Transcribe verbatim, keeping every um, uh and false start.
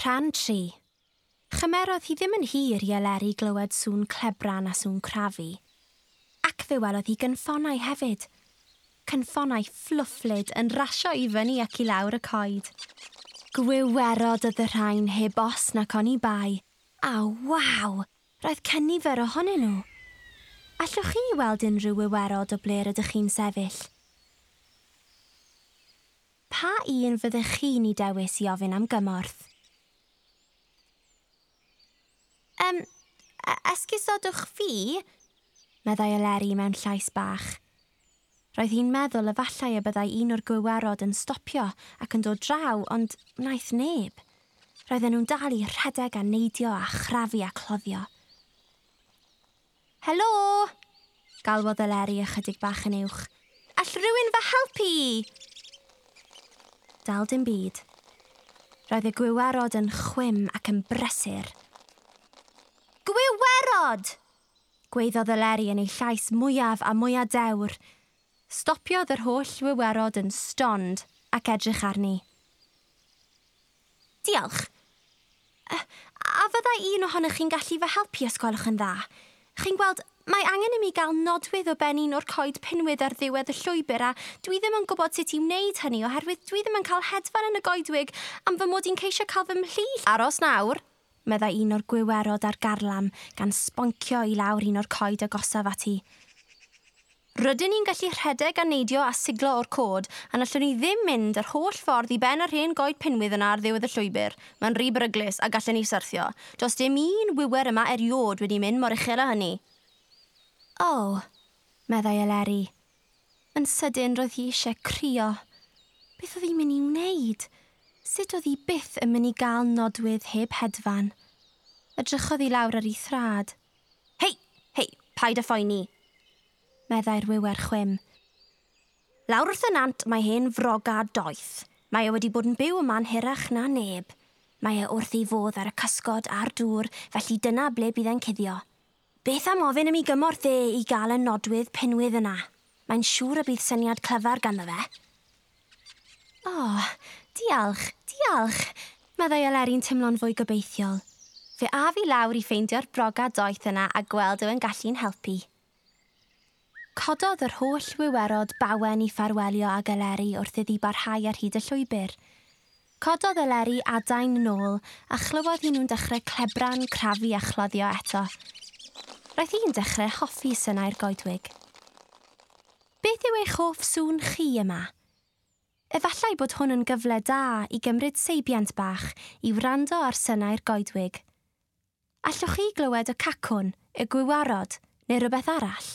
Rhan tri. Chymerodd hi ddim yn hir i Eleri glywed sŵn clebran a sŵn crafu. Ac fe welodd hi gynffonau hefyd. Cynffonau fflwfflyd yn rasio i fyny ac i lawr y coed. Gwiwerod oedd y rhain heb os nac oni bai. A waw! Roedd cynifer ohonyn nhw. Allwch chi weld unrhyw wiwerod o ble rydych chi'n sefyll? Pa un fyddech chi'n ei dewis i ofyn am gymorth? Um, esgusodwch fi, meddai Eleri mewn llais bach. Roedd hi'n meddwl efallai y byddai un o'r gwiwerod yn stopio ac yn dod draw, ond wnaeth neb. Roedden nhw'n dal i rhedeg a neidio a chrafu a cloddio. Helo! Galwodd Eleri ychydig bach yn uwch. All rhywun fy helpu? Dal dim byd. Roedd y gwiwerod yn chwim ac yn brysur. Gwiwerod! Gweiddodd Eleri yn ei llais mwyaf a mwyaf dewr. Stopiodd yr holl wiwerod yn stond ac edrych arni. Diolch. A fyddai un ohonych chi'n gallu fy helpu os gwelwch yn dda? Chi'n gweld, mae angen i mi gael nodwydd o ben un o'r coed pinwydd ar ddiwedd y llwybr a dwi ddim yn gwybod sut i wneud hynny oherwydd dwi ddim yn cael hedfan yn y goedwig am fy mod i'n ceisio cael fy mhlu. Aros nawr, meddai un o'r gwiwerod ar garlam gan sboncio i lawr un o'r coed agosaf ati. Rydyn ni'n gallu rhedeg a neidio a siglo o'r cod, a allwn ni ddim mynd yr holl ffordd i ben yr hen goed pinwydd yna ar ddiwedd y llwybr. Mae'n rhy beryglus a gallen ni syrthio. Does dim un wiwer yma eriod wedi mynd mor uchel â hynny. O, oh, meddai Eleri. Yn sydyn roedd hi eisiau crio. Beth oedd hi'n mynd i wneud? Sut oedd hi byth yn mynd i gael nodwydd heb hedfan? Edrychodd hi lawr ar ei thrad. Hei, hei, paid â phoeni, meddai'r wiwer chwim. Lawr wrth y nant mae hen froga doeth. Mae e wedi bod yn byw yma'n hirach na neb. Mae e wrth ei fodd ar y cysgod a'r dŵr, felly dyna ble bydd e'n cuddio. Beth am ofyn am ei gymorth e i gael y nodwydd pinwydd yna? Mae'n siŵr y bydd syniad clyfar ganddo fe. O, oh, diolch, diolch, meddai Eleri'n teimlo'n fwy gobeithiol. Fe af i lawr i ffeindio'r broga doeth yna a gweld yw yn gallu'n helpu. Cododd yr holl wiwerod bawen i ffarwelio ag Eleri wrth iddi barhau ar hyd y llwybr. Cododd Eleri adain nôl a chlywodd hi nhw'n dechrau clebran, crafu a chloddio eto. Roedd hi'n dechrau hoffi synau'r goedwig. Beth yw eich hoff sŵn chi yma? Efallai bod hwn yn gyfle da i gymryd seibiant bach i wrando ar synau'r goedwig. Allwch chi glywed y cacwn, y gwiwarod neu rhywbeth arall?